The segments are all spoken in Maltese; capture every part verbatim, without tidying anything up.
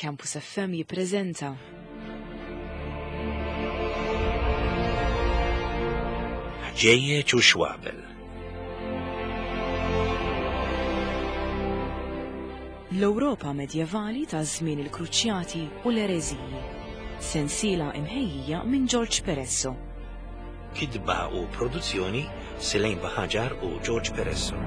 Campus F M jippreżenta Ħġejjeġ u Xwabel. L-Ewropa medjevali ta' żmien il-Kruċjati u l-Ereżiji. Sensiela imħejjija minn George Peresso. Kitba u produzzjoni Selene Baħaġar u George Peresso.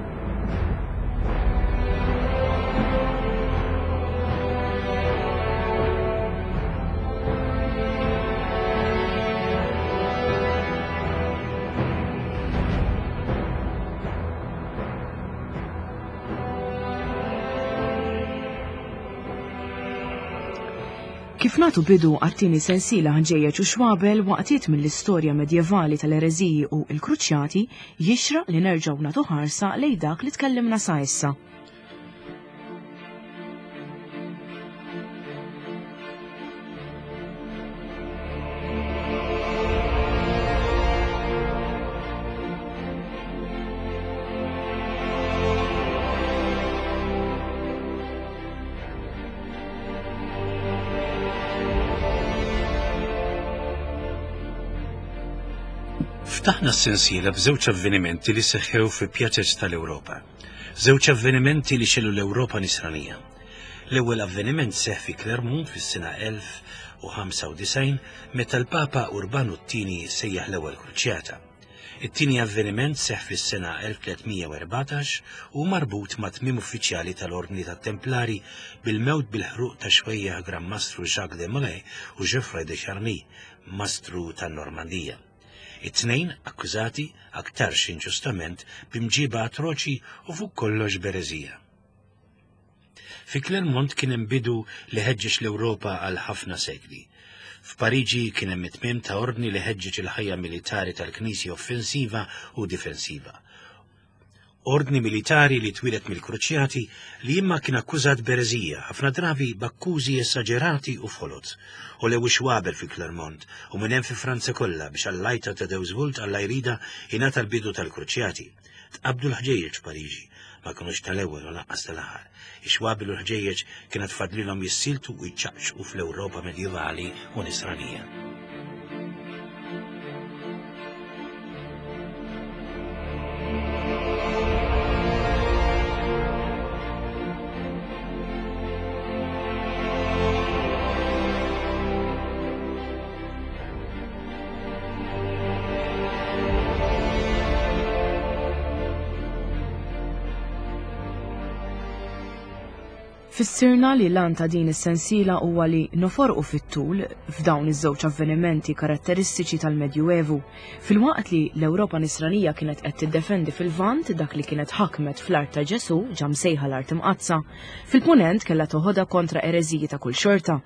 Kif nagħtu bidu għat-tieni sensiela Ħġejjeġ u Xwabel waqtiet mill-istorja medjevali tal-ereżiji u l-Kruċjati, jixraq li nerġgħu nagħtu ħarsa lejn dak li tkellimna sa issa. Ftaħna s-sensiela b'żewġ avvenimenti li seħħew fi pjazez tal-Ewropa. Żewġ avvenimenti li xellu l-Ewropa nisranija. L-ewwel avveniment seħħ fi Clermont fis-sena elf u ħamsa u disgħin meta l-Papa Urbanu t-tieni sejjaħ l-ewwel kruċjata. It-tieni avveniment seħħ fis-sena elf tlietmija u erbatax u marbut ma' tmiem uffiċjali tal-Ordni tat-Templari bil-mewt bil-ħruq ta' xwejjaħ Gran Mastru Jacques de Molay u Geoffroy de Charny, Mastru tan-Normandija. It-tnejn akkużati aktarx inġustament b'imġiba atroċi u fuq kollox b'ereżija. Fi Clermont kien hemm bidu li ħeġġeġ l-Ewropa għal ħafna sekli. F'Pariġi kien hemm it-tmiem ta' ordni li ħeġġeġ il-ħajja militari tal-Knisja offensiva u difensiva. Ordni militari li twieled mill-Kruċjati li imma kien akkużat b'ereżija, ħafna drabi b'akkużi esaġerati u folot. U lew xwabel fi Clermont u minn hemm fi Franza kollha biex għall-lajta ta' Deus Vult Alla jrida ingħata l-bidu tal-Kruċjati. Tqabdu l-ħġejjeġ f'Pariġi, ma kinux tal-ewwel u lanqas tal-aħħar. Ix-xwabel u l-ħġejjeġ kienet fadlilhom jissiltu u jċaqċqu fl-Ewropa medjevali u nisranija. Fissirna li l-għan ta' din is-sensiela huwa li noforqu fit-tul f'dawn iż-żewġ avvenimenti karatteristiċi tal-Medjuevu, filwaqt li l-Ewropa nisranija kienet qed tiddefendi fil-Lvant dak li kienet ħakmet fl-art ta' Ġesu, ġa msejħa l-art imqaddsa, fil-Punent kellha toħodha kontra ereżiji ta' kull xorta.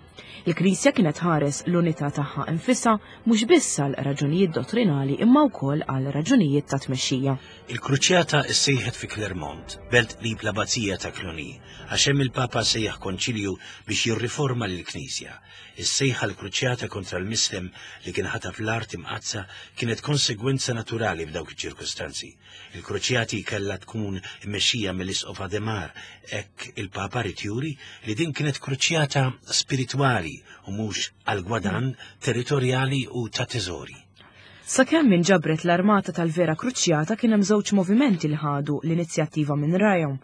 Il-Knisja kienet ħares l-unità tagħha infisha mhux biss għal raġunijiet dottrinali imma wkoll għal raġunijiet ta' tmexxija. Il-Kruċjata ssejħet fi Clermont, belt qrib l-Abbazija ta' Cluny, għax hemm il-Papa sejjaħ konċilju biex jirriforma lill-Knisja. Is-sejħa l-Kruċjata kontra l-Mislem li kien ħataf l-art imqaddsa kienet konsegwenza naturali f'dawk iċ-ċirkustanzi. Il-Kruċjati kellha tkun immexxija mill-Isqof Ademar, hekk il-Papa ried juri li din kienet kruċjata spiritwali u mhux għal gwadann territorjali u ta' teżori. Sakemm inġabret l-armata tal-vera Kruċjata kien hemm żewġ movimenti li ħadu l-inizjattiva minn rajhom.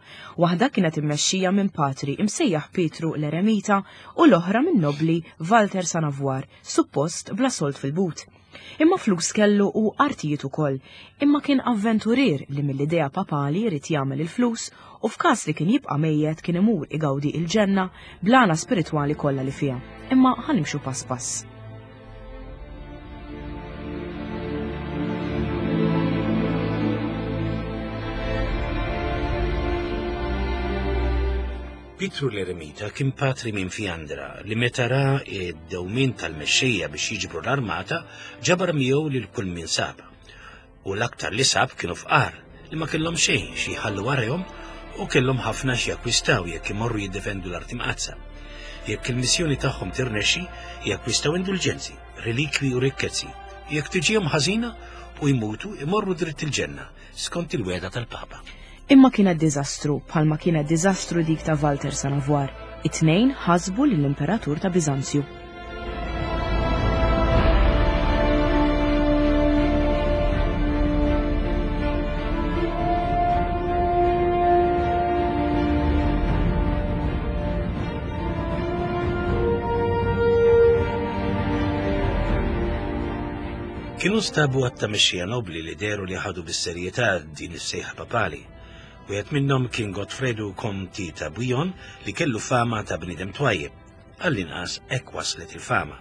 Waħda kienet immexxija minn patri imsejjaħ Pietru l-Eremita u l-oħra minn nobli Walter Sanavwar, suppost bla sold fil-but. Imma flus kellu u artijiet ukoll, imma kien avventurier li mill-idea papali jrid jagħmel il-flus u f'każ li kien jibqa' mejjet kien imur igawdi il-ġenna blana spiritwali kollha li fiha. Imma ħanimxu pass pass. Pietru l-Eremita kien patri minn Fiandra li meta ra id-dewmien tal-mexxejja biex jiġbru l-armata ġabar miegħu lil kull min sab. U l-aktar li sab kienu fqar li ma kellhom xejn xi jħallu warahom u kellhom ħafna xi jakkwistaw jekk imorru jiddefendu l-art imqaddsa. Jekk il-missjoni tagħhom tirnexxi, jakkwistaw indulġenzi, relikwi u rikkezzi. Jekk tiġihom ħażina u jmutu, imorru dritt il-ġenna skont il-wegħda tal-Papa. Imma kienet diżastru, bħalma kienet diżastru dik ta' Walter Sanavwar. It-tnejn ħasbu lill-Imperatur ta' Biżanzju. Kienu stabu għatta mexxija nobli li deru li ħadu bis-serjetà din is-sejħa papali. Wieħed minnhom kien Gottfredu Konti ta' Bouillon li kellu fama ta' bniedem twajjeb. Għall-inqas hekk waslet il-fama.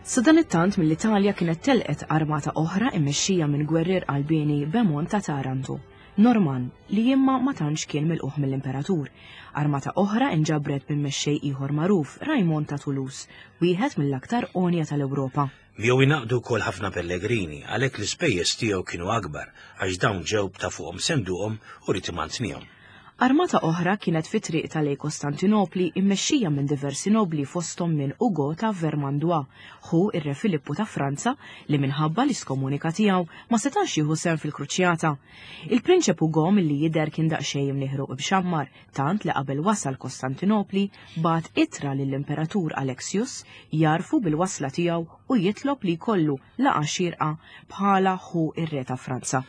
Sadanittant mill-Italja kienet telqet armata oħra immexxija minn gwerrier qalbieni Bemont ta' Taranto, Norman, li imma ma tantx kien milquh mill-Imperatur. Armata oħra inġabret minn mexxej ieħor magħruf, Raymond ta' Toulouse, wieħed mill-aktar għonja tal-Ewropa. Miegħu ingħaqdu wkoll ħafna pellegrini, għalhekk l-ispejjeż tiegħu kienu akbar għax dawn ġew ta' fuqhom senduqhom u rid imantnihom. Armata oħra kienet fi triq ta' lejn Kostantinopli immexxija minn diversi nobli fosthom minn Ugo ta' Vermandois, ħu ir-Re Filippu ta' Franza li minħabba l-iskomunika tiegħu ma setax jieħu sehem fil-kruċjata. Il-prinċep Ugo milli jidher kien daqsxejn imnieħru b'xammar, tant li qabel wasal Kostantinopli bagħat ittra lill-Imperatur Alexius jarfu bil-wasla tiegħu u jitlob li jkollu laqgħa xierqa bħala ħu ir-Re ta' Franza.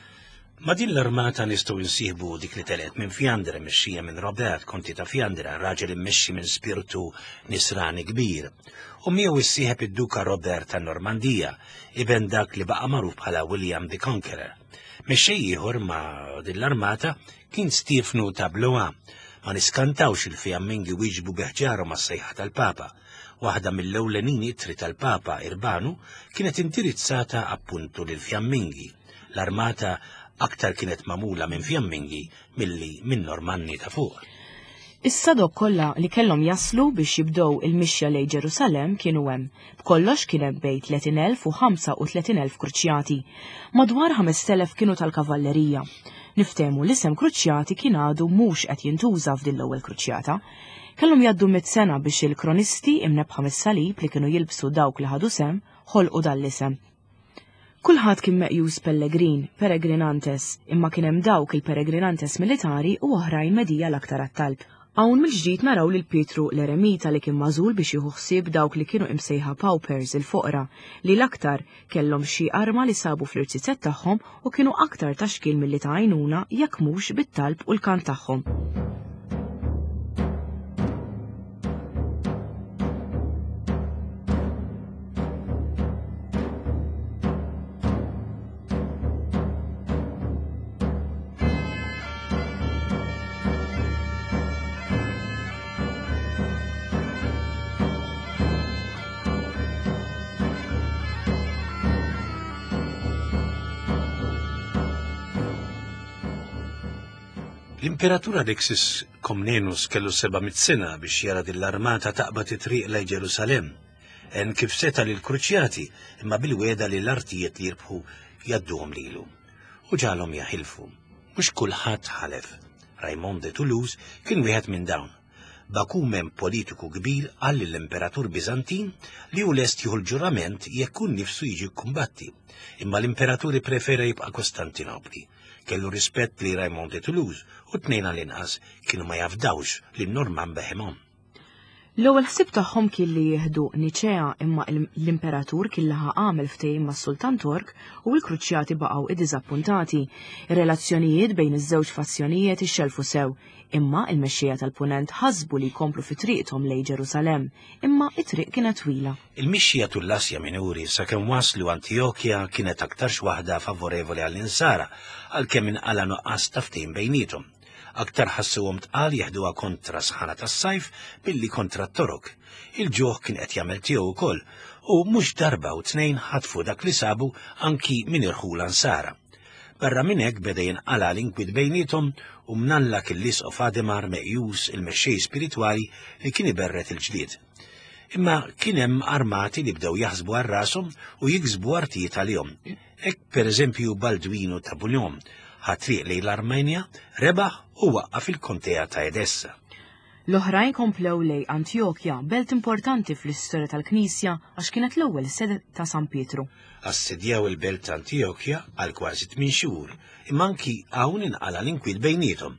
Ma din l-armata nistgħu insieħbu dik li telqet minn Fjandra mexxija minn Robert, konti ta' Fjandra, raġel immexxi minn spiritu nisrani kbir. U miegħu issieħeb id-Duka Robert ta' Normandija, iben dak li baqa' magħruf bħala William the Conqueror. Mexxej ieħor ma' din l-armata kien Stiefnu ta' Blois. Ma niskantawx il-Fjammingi wieġbu biħġarhom għas-sejħa tal-Papa. Waħda mill-ewlenin ittri tal-Papa Irbanu kienet indirizzata appuntu lill-Fjammingi. L-armata aktar kienet magħmula minn Fjammingi milli minn Normanni ta' fuq. Is-sadok kollha li kellhom jaslu biex jibdew il-mixja lejn Ġerusalemm kienu hemm. B'kollox kien hemm bejn tletin elf u ħamsa u tletin elf kruċjati. Madwar ħamest elef kienu tal-kavallerija. Niftehmu l-isem kruċjati kien għadu mhux qed jintuża f'din l-ewwel kruċjata. Kellhom jgħaddu mitt sena biex il-kronisti imnebħa mis-salib li kienu jilbsu dawk li ħadu sehem ħolqu dan l-isem. Kulħadd kien meqjus pellegrin, peregrinantes, imma kien hemm dawk il-peregrinantes militari u oħrajn medija l-aktar għat-talb. Hawn mill-ġdid naraw lil Pietru l-Eremita li kien magħżul biex jieħu ħsieb dawk li kienu imsejħa paupers il-foqra li l-aktar kellhom xi arma li sabu fl-irziezet tagħhom u kienu aktar ta' xkil milli ta' għajnuna jekk mhux bit-talb u l-kant tagħhom. L-Imperatur Alexis Komnenus kellu seba' mitt sena biex jara din l-armata taqbad it-triq lejn Ġerusalemm. En kif seta' lill-kruċjati imma bil-weda li l-artijiet li jirbħu jgħadduhom lilu. U ġalhom jaħilfu. Mhux kulħadd ħalef. Raymond de Toulouse kien wieħed minn dawn. Bakumen politiku kbir qal lill-Imperatur Biżantin li hu lest jieħu l-ġurament jekk hu nnifsu jiġi kkumbatti. Imma l-Imperatur ipprefera jibqa' Kostantinopli. Kellu rispett li Raymond de Toulouse u tnejn għall-inqas kienu ma jafdawx li Norman beħemhom. L-ewwel ħsieb tagħhom kien li jieħdu Niċea imma l-Imperatur kien laħaq għamel ftehim mas-Sultan Tork u l-kruċjati baqgħu iddiżappuntati. Ir-relazzjonijiet bejn iż-żewġ fazzjonijiet ixxelfu sew, imma l-mexxejja tal-Punent ħasbu li jkomplu fi triqthom lejn Ġerusalemm, imma it-triq kienet twila. Il-mixja tul l-Asja Minuri sakemm waslu Antjokja kienet aktarx waħda favorevoli għall-insara għalkemm inqala nuqqas ta' ftehim bejniethom. Aktar ħassuhom tqal jeħduha kontra sħana tas-sajf billi kontra t-torok. Il-ġuħ kien qed jagħmel tiegħu wkoll u mhux darba u tnejn ħatfu dak li sabu anki minn irħula nsara. Barra minn hekk beda jinqala l-inkwiet bejniethom u mnalla kien l-Isqof Ademar meqjus il-mexxej spiritwali li kien iberret il-ġlied. Imma kien hemm armati li bdew jaħsbu għal rashom u jiksbu artijiet għalihom. Hekk pereżempju Baldwinu ta' Bouillon ħa triq lejn l-Armenja, rebaħ u waqqaf il-kontea ta' Edessa. L-oħrajn komplew lejn Antjokja, belt importanti fl-istorja tal-Knisja għax kienet l-ewwel sede ta' San Pietru. Assedjaw il-belt ta' Antjokja għal kważi tmien xhur, imma anki hawn inqala l-inkwiet bejniethom.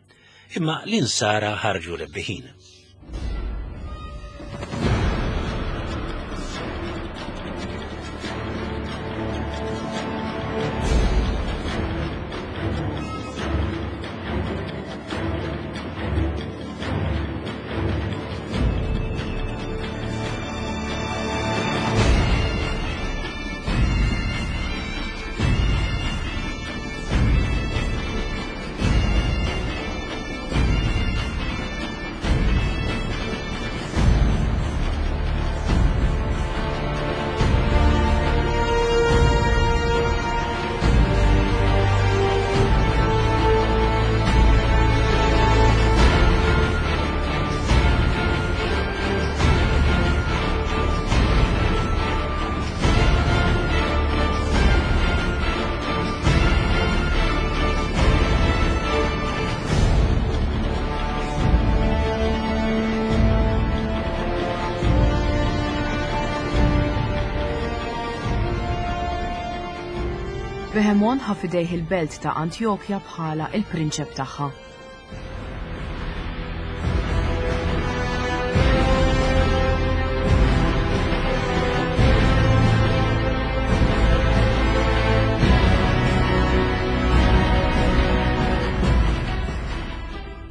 Imma l-insara ħarġu rebbiħin. Bohemond ħa f'idejh il-belt ta' Antjokja bħala il-prinċep tagħha.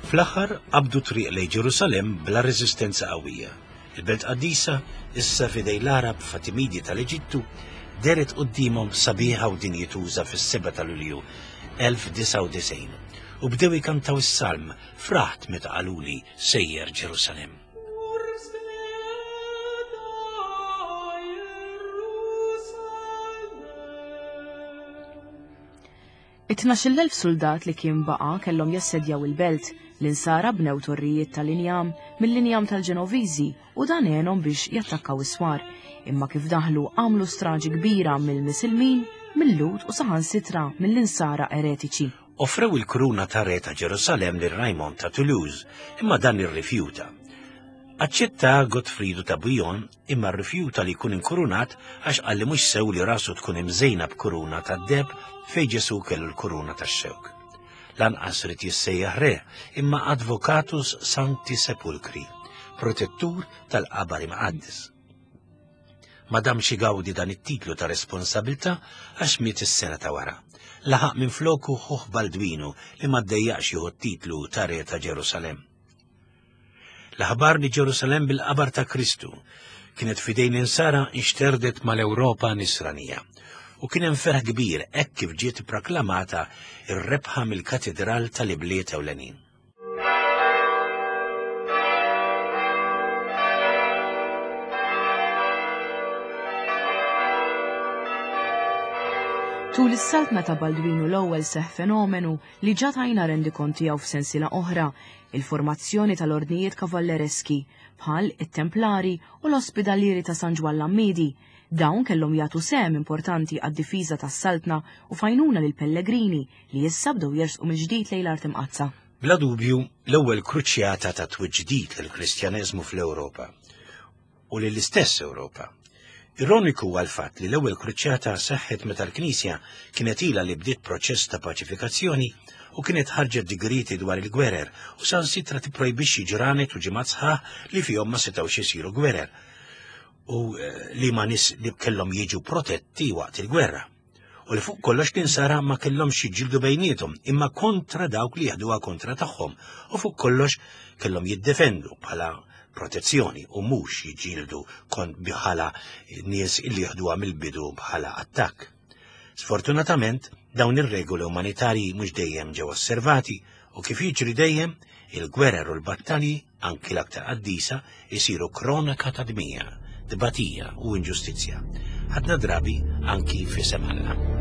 Fl-aħħar qabdu triq lejn Ġerusalemm bla reżistenza qawwija. Il-belt qaddisa, issa f'idejn l-Għarab Fatimidi tal-Eġittu, dehret quddiemhom sabiħa u dinjituża fis-sebgħa ta' Lulju elf disgħa u disgħin u bdew ikantaw is-salm fraħt meta qaluli sejjer Ġerusalemm. It-tnax-il elf soldat li kien baqa' kellhom jassedjaw il-belt. L-insara bnew torrijiet tal-injam mill-injam tal-Ġenoviżi u dan għenhom biex jattakkaw is-swar. Imma kif daħlu għamlu straġi kbira mill-Misilmin, mill-Lhud u saħansitra mill-insara eretiċi. Offrew il-kuruna ta' re ta' Ġerusalemm lil Raymond ta' Toulouse, imma dan irrifjuta. Aċċetta Gottfridu ta' Bouillon imma rrifjuta li jkun inkurunat għax qal li mhux sew li rasu tkun imżejna b'kuruna tad-deheb fejn Ġesu kellu l-kuruna tax-xewk. Lanqas rid jissejjaħ re, imma Advocatus Sancti Sepulcri, protettur tal-qabar imqaddes. Ma damx igawdi dan it-titlu ta' responsabilità għax miet is-sena ta' wara. Laħaq minn floku ħuh Baldwinu li ma ddejjaqx jieħu t-titlu ta' re ta' Ġerusalemm. L-aħbar li Ġerusalemm bil-qabar ta' Kristu kienet fidejn insara inxterdet mal-Ewropa nisranija u kien hemm ferħ kbir hekk kif ġiet proklamata ir-rebħa mill-katedral tal-ibliet ewlenin. Tul is-saltna ta' Baldwinu l-ewwel seħ fenomenu li ġa tajna rendikont tiegħu f'sensiela oħra, il-formazzjoni tal-ordnijiet kavallereski bħal it-Templari u l-Ospidalieri ta' San Ġwann l-Għammiedi. Dawn kellhom jagħtu sehem importanti għad-difiża tas-saltna u fajnuna lil pellegrini li issa bdew jersqu mill-ġdid lejn l-art imqaddsa. Bla dubju, l-ewwel kruċjata ta' twiġdid lill-Kristjaneżmu fl-Ewropa u lill-istess Ewropa. Ironiku huwa l-fatt li l-ewwel kruċjata seħħet meta l-Knisja kienet ilha li bdiet proċess ta' paċifikazzjoni u kienet ħarġet digrieti dwar il-gwerer u sansitra tipprojbixxi ġranet u ġimgħat sħaħ li fihom ma setgħux isiru gwerer u li ma nies li kellhom jiġu protetti waqt il-gwerra. U li fuq kollox l-insara ma kellhomx jiġġieldu bejniethom imma kontra dawk li jaħduha kontra tagħhom u fuq kollox kellhom jiddefendu bħala protezzjoni u mhux jiġġieldu kont bħala nies illi jaħduha mill-bidu bħala attakk. Sfortunatament, dawn ir-regoli umanitarji mhux dejjem ġew osservati u kif jiġri dejjem, il-gwerer u l-battalji, anki l-aktar qaddisa, isiru kronaka ta' dmija, tbatija u inġustizzja. Ħadna drabi anki f'isem Alla.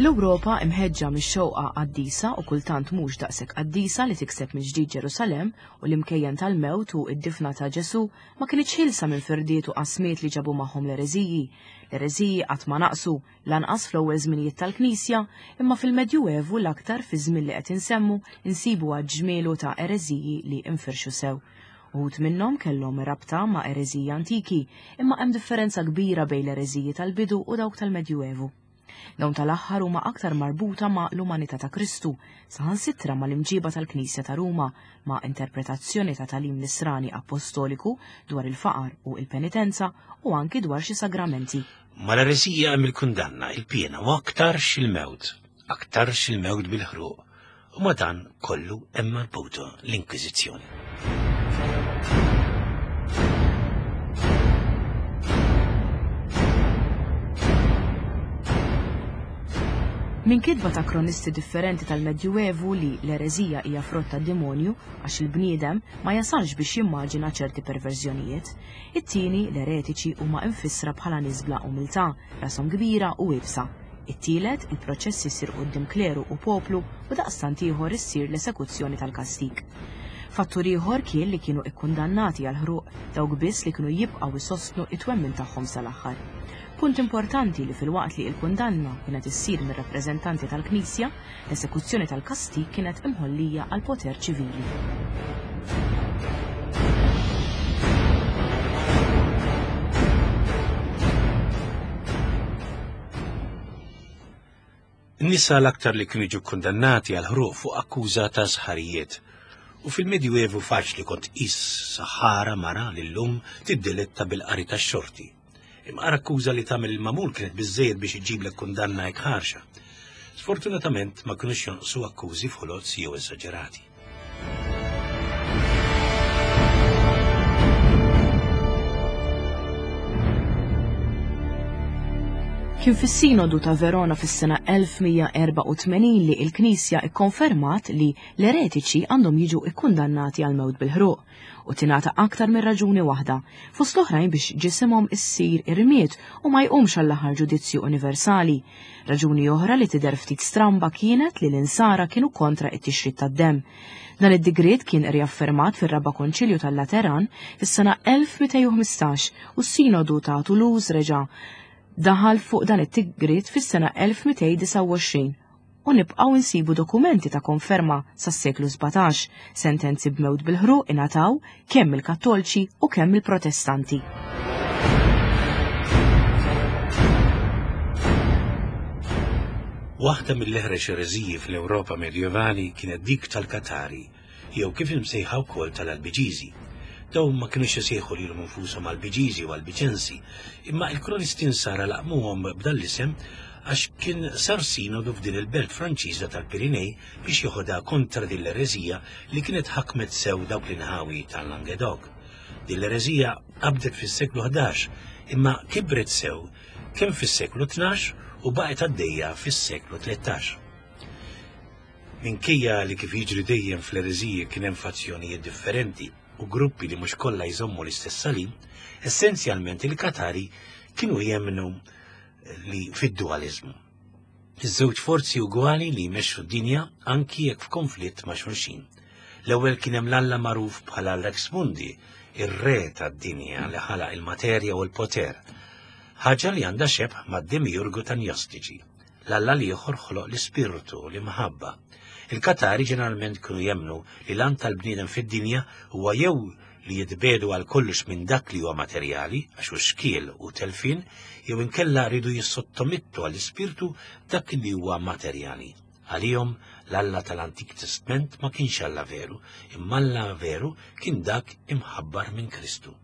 L-Ewropa imħeġġa mix-xewqa qaddisa u kultant mhux daqshekk qaddisa li tikseb mill-ġdid Ġerusalemm u l-imkejjen tal-mewt u d-difna ta' Ġesù ma kinitx ħilsa minn firdiet u qasmiet li ġabu magħhom l-ereżiji. L-ereżiji qatt ma naqsu, lanqas fl-ewwel żminijiet tal-Knisja, imma fil-Medjuevu l-aktar fi żmien li qed insemmu insibu ġmielu ta' ereżiji li infirxu sew. Uħud minnhom kellhom rabta ma' ereżiji antiki, imma hemm differenza kbira bejn l-ereżiji tal-bidu u dawk tal-Medjuevu. Dawn tal-aħħar huma aktar marbuta ma' l-umanità ta' Kristu, saħansitra ma' l-imġiba tal-Knisja ta' Ruma, ma' interpretazzjoni ta' tagħlim nisrani apostoliku dwar il-faqar u il-penitenza u anki dwar xi sagramenti. Mal-ereżija hemm il-kundanna, il-piena u aktarx il-mewt, aktarx il-mewt bil-ħruq, u ma' dan kollu hemm marbuta l-Inkwiżizzjoni. Minn kitba ta' kronisti differenti tal-Medjuevu li l-ereżija hija frott tad-demonju għax il-bniedem ma jasalx biex jimmaġina ċerti perverżjonijiet. It-tieni, l-eretiċi huma infissra bħala nies bla umiltà, rashom kbira u iebsa. It-tielet, il-proċess isir quddiem kleru u poplu u daqstant ieħor issir l-esekuzzjoni tal-kastig. Fattur ieħor kien li kienu ikkundannati għal ħruq dawk biss li kienu jibqgħu jsostnu it-twemmin tagħhom sal-aħħar. Punt importanti li filwaqt li l-kundanna kienet issir mir-rappreżentanti tal-Knisja, l-esekuzzjoni tal-kastig kienet imħollija għal poter ċivili. Nisa l-aktar li kienu jiġu kundannati għal ħruq fuq akkuża ta' sħarijiet. U fil-Medjuevu faċli kont tqis saħħara mara li llum tiddiletta bil-qari tax-xorti. Imma akkuża li tagħmel il-magħmul kienet biżżejjed biex iġiblek kundanna hekk ħarxa. Sfortunatament ma kinux jonqsu akkużi foloz jew esaġerati. Kien fis-Sinodu ta' Verona fis-sena elf mija erbgħa u tmenin li l-Knisja ikkonfermat li l-eretiċi għandhom jiġu ikkundannati għal mewt bil-ħruq u tingħata aktar minn raġuni waħda, fost l-oħrajn biex ġisimhom issir irmied u ma jqumx għall-aħħar ġudizzju universali. Raġuni oħra li tidher ftit stramba kienet li l-insara kienu kontra it-tixrid tad-demm. Dan id-digriet kien riaffermat fir-Raba' Konċilju tal-Lateran fis-sena elf mitejn u ħmistax u s-Sinodu ta' Toulouse reġa' daħal fuq dan it-tigriet fis-sena elf mitejn disgħa u għoxrin u nibqgħu nsibu dokumenti ta' konferma sas-seklu sbatax, sentenzi b'mewt bil-ħruq ingħataw kemm il-Kattolċi u kemm il-Protestanti. Waħda mill-eħrex ereżiji fl-Ewropa medjevali kienet dik tal-Katari, jew kif imsejħa wkoll tal-Albiġiżi. Dawn ma kinux isejħu lilhom infushom Albiġiżi u Albiġensi, imma il-kronisti nsara laqmuhom b'dan l-isem għax kien sar sinodu f'din il-belt Franċiża tal-Pirinej biex joħodha kontra din l-ereżija li kienet ħakmet sew dawk l-inħawi tal-Languedoc. Din l-ereżija qabdet fis-seklu ħdax, imma kibret sew kemm fis-seklu tnax u baqgħet għaddejja fis-seklu tlettax. Minkejja li kif jiġri dejjem fl-ereżiji kien hemm fazzjonijiet differenti u gruppi li mhux kollha jżommu l-istess salim, essenzjalment il-Katari kienu jemmnu li fid-dualizmu. Iż-żewġ forzi ugwali li jmexxu d-dinja anki jekk f'konflitt ma' xulxin. L-ewwel kien hemm l-Alla magħruf bħala Rex Mundi, ir-re tad-dinja li ħalaq il-materja u l-poter, ħaġa li għandha xebh mad-demiurgu tan-Gnostiċi. L-Alla l-ieħor ħoloq l-ispirtu u l-imħabba. Il-Katari ġeneralment kienu jemmnu li l-għan tal-bniedem fid-dinja huwa jew li jitbedu għal kollox minn dak li huwa materjali, għax hu xkiel u telfin, jew inkella rridu jissottomettu għall-ispirtu dak li huwa materjali. Għalihom l-Alla tal-Antik Testament ma kienx Alla veru, imma Alla veru kien dak imħabbar minn Kristu.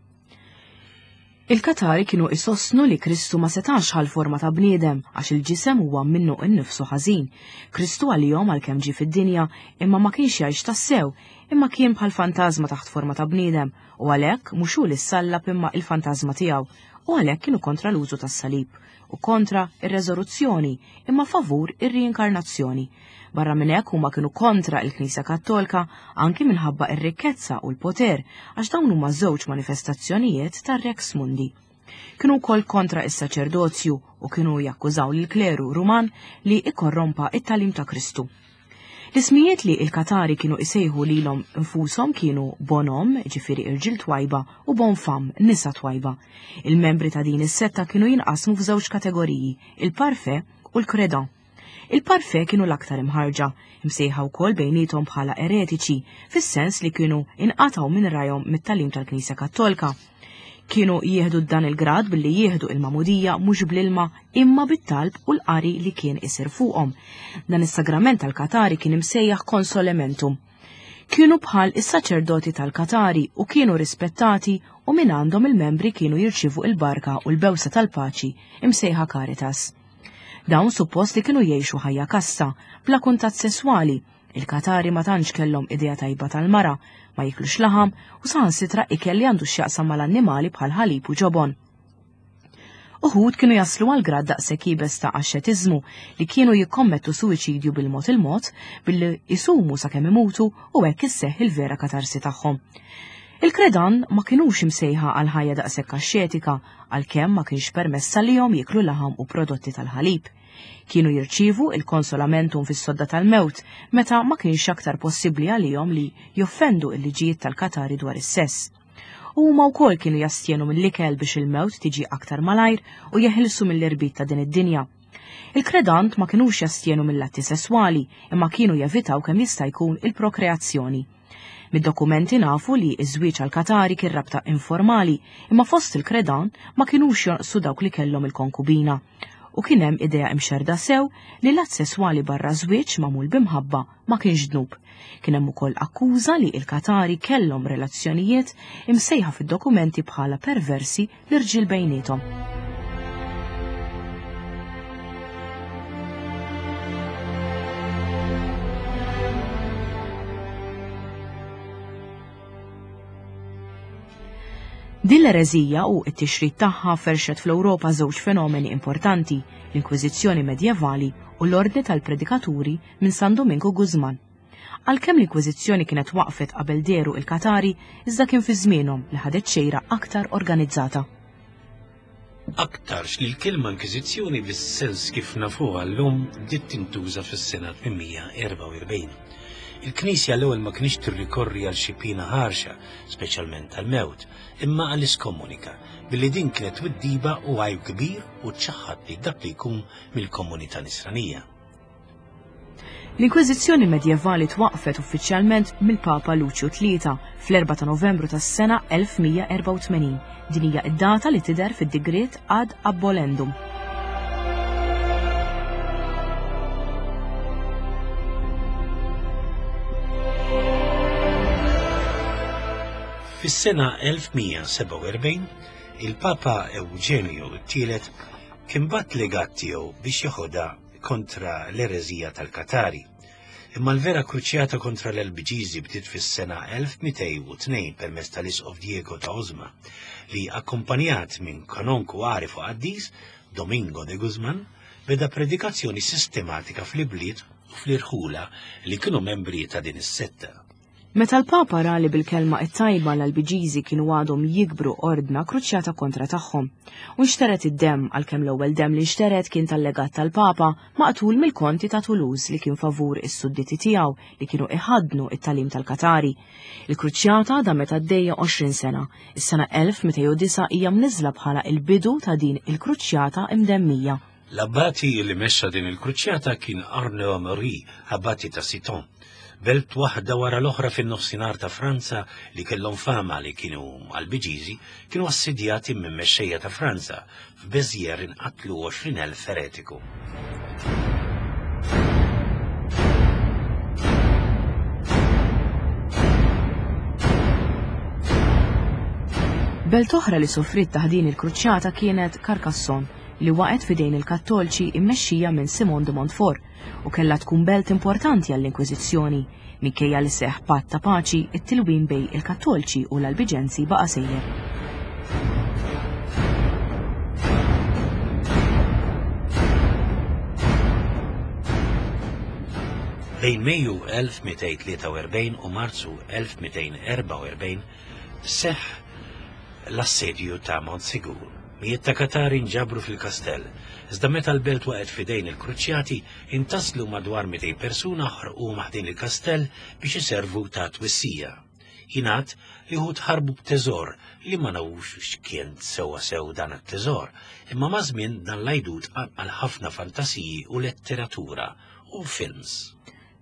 Il-Katari kienu isostnu li Kristu ma setax ħal forma ta' bniedem għax il-ġisem huwa minnu innifsu ħażin. Kristu għalihom għalkemm ġie fid-dinja imma ma kienx jgħix tassew, imma kien bħal fantażma taħt forma ta' bniedem u għalhekk mhux hu li ssallab imma il-fantażma tiegħu, u għalhekk kienu kontra l-użu tas-salib u kontra ir-reżoluzzjoni imma favur ir-riinkarnazzjoni. Barra minn hekk huma kienu kontra il-Knisja Kattolika anki minħabba ir-rikkezza u l-poter għax dawn huma żewġ manifestazzjonijiet tar-Rex Mundi. Kienu wkoll kontra is-saċerdozju u kienu jakkużaw lill-kleru Ruman li ikkorrompa it-tagħlim ta' Kristu. L-ismijiet li il-Katari kienu isejħu lilhom infushom kienu Bonom, ġifieri irġiel twajba, u Bonfam, nisa twajba. Il-membri ta' din is-setta kienu jinqasmu f'żewġ kategoriji, il-Parfait u l-Credan. Il-Parfait kienu l-aktar imħarġa, imsejħa wkoll bejniethom bħala eretiċi, fis-sens li kienu inqatgħu minn rajhom mit-tagħlim tal-Knisja Kattolka. Kienu jieħdu dan il-grad billi jieħdu il-magħmudija mhux bl-ilma imma bit-talb u l-qari li kien isir fuqhom. Dan is-sagrament tal-Katari kien imsejjaħ consolamentum. Kienu bħal is-saċerdoti tal-Katari u kienu rispettati u minn għandhom il-membri kienu jirċievu il-barka u l-bewsa tal-paċi imsejħa Caritas. Dawn suppost li kienu jgħixu ħajja kassa, bla kuntatt sesswali. Il-Katari ma tantx kellhom idea tajba tal-mara, ma jiklux laħam u saħansitra ikel li għandu x'jaqsam mal-annimali bħal ħalib u ġobon. Uħud kienu jaslu għal grad daqshekk iebes ta' axxetiżmu li kienu jikkommettu suwiċidju bil-mod il-mod billi jisumu sakemm imutu u hekk isseħħ il-vera katarsi tagħhom. Il-Credan ma kinux imsejħa għal ħajja daqshekk axxetika għalkemm ma kienx permessa lihom jieklu laħam u prodotti tal-ħalib. Kienu jirċievu il-konsolamentum fis-sodda tal-mewt meta ma kienx aktar possibbli għalihom li joffendu l-liġijiet tal-Katari dwar is-sess. U huma wkoll kienu jastjenu mill-ikel biex il-mewt tiġi aktar malajr u jeħilsu mill-irbit ta' din id-dinja. Il-Credant ma kinux jastjenu mill-atti sesswali imma kienu jevitaw kemm jista' jkun il-prokreazzjoni. Mid-dokumenti nafu li ż-żwieġ għal-Katari kien rabta informali imma fost il-Credan ma kinux jonqsu dawk li kellhom il-konkubina. U kien hemm idea imxerda sew li l-att sesswali barra żwieġ magħmul b'imħabba ma kienx dnub. Kien hemm ukoll akkuża li l-Katari kellhom relazzjonijiet imsejħa fid-dokumenti bħala perversi l-irġiel bejniethom. Din l-ereżija u t-tixrid tagħha ferxet fl-Ewropa żewġ fenomeni importanti, l-Inkwiżizzjoni medjevali u l-Ordni tal-Predikaturi minn San Domingo Guzman. Għalkemm l-Inkwiżizzjoni kienet waqfet qabel deru il-Katari, iżda kien fi żmienhom li ħadet xejra aktar organizzata. Aktarx li l-kelma Inkwiżizzjoni bis-sens kif nafuha llum bdiet tintuża fis-sena tmien erba' u erbgħin. Il-Knisja l-ewwel ma kienx tirrikorri għal xi piena ħarxa, speċjalment tal-mewt, imma għall-iskomunika, billi din kienet twiddiba u għajb kbir u ċaħħad li dak li jkun mill-komunità nisranija. L-Inkwiżizzjoni medjevali twaqfet uffiċjalment mill-Papa Luċju tlieta fl-erba' ta' Novembru tas-sena elf mija erba' u tmenin. Din hija id-data li tidher fid-digriet ad abolendum. Fis-sena elf mija seba' u erbgħin, il-Papa Eugenio t-tielet kien bat legat tiegħu biex jeħodha kontra l-ereżija tal-Katari. Imma l-vera kruċjata kontra l-Albiġiżi bdiet fis-sena elf mitejn u tnejn permezz tal-Isqof Diego ta' Osma, li akkompanjat minn kanonku għarif u qaddis Domingo de Guzman beda predikazzjoni sistematika fl-ibliet u fl-irħula li kienu membri ta' din is-setta. Meta l-Papa ra li bil-kelma it-tajba l-Albiġiżi kienu għadhom jikbru ordna kruċjata kontra tagħhom. U nxteret id-demm għalkemm l-ewwel demm li nxteret kien tal-legat tal-Papa maqtul mill-konti ta' Toulouse li kien favur is-sudditi tiegħu li kienu iħaddnu it-tagħlim tal-Katari. Il-kruċjata damet għaddejja għoxrin sena. Is-sena elf mitejn u disa' hija mniżla bħala il-bidu ta' din il-kruċjata imdemmija. L-abbati li mexxa din il-kruċjata kien Arnaud Amaury, abbati ta' Citeaux. Belt waħda wara l-oħra fin-nofsinhar ta' Franza li kellhom fama li kienu Albiġiżi kienu assedjati minn mexxejja ta' Franza. F'Bezier inqatlu għoxrin elf eretiku. Belt oħra li soffriet taħt din il-kruċjata kienet Carcassonne, li waqgħet f'idejn il-Kattolċi immexxija minn Simon de Montfort u kellha tkun belt importanti għall-Inkwiżizzjoni. Minkejja li seħħ patt ta' paċi, it-tilwim bejn il-Kattolċi u l-Albiġenzi baqa' sejjer. Bejn Mejju elf mitejn tlieta u erbgħin u Marzu elf mitejn erba' u erbgħin seħħ l-assedju ta' Montsegur Mijiet ta' Katari nġabru fil-kastell. Iżda meta l-belt waqgħet f'idejn il-Kruċjati, intaslu madwar mitejn persuna ħarquhom ħdejn il-kastell biex iservu ta' twissija. Jingħad li wħud ħarbu b'teżor li ma nafux x'kien sewwa sew dan it-teżor, imma maż-żmien dan l-għajdut qanqal ħafna fantasiji u letteratura u films.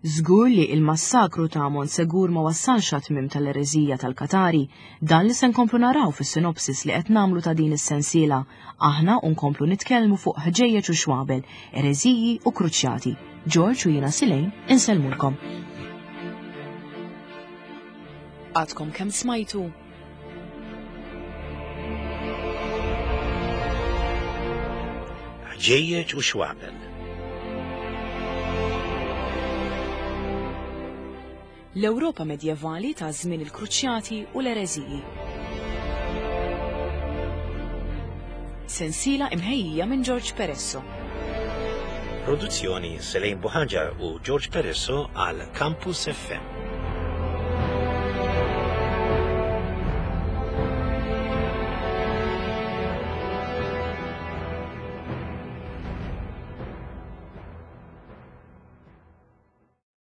Żgur li il-massakru ta' Montsegur ma wassalx għat-tmiem tal-ereżija tal-Katari, dan li se nkomplu naraw fis-sinopsis li qed nagħmlu ta' din is-sensiela. Aħna u nkomplu nitkellmu fuq ħġejjeġ u xwabel, ereżiji u kruċjati. George u jiena Silejn insellmulkom. Għadkom kemm smajtu? Ħġejjeġ u xwabel. L-Ewropa medjevali ta' żmien il-Kruċjati u l-ereżiji. Sensiela imħejjija minn George Peresso. Produzzjoni Selejn Buħaġar u George Peresso għal Campus F M.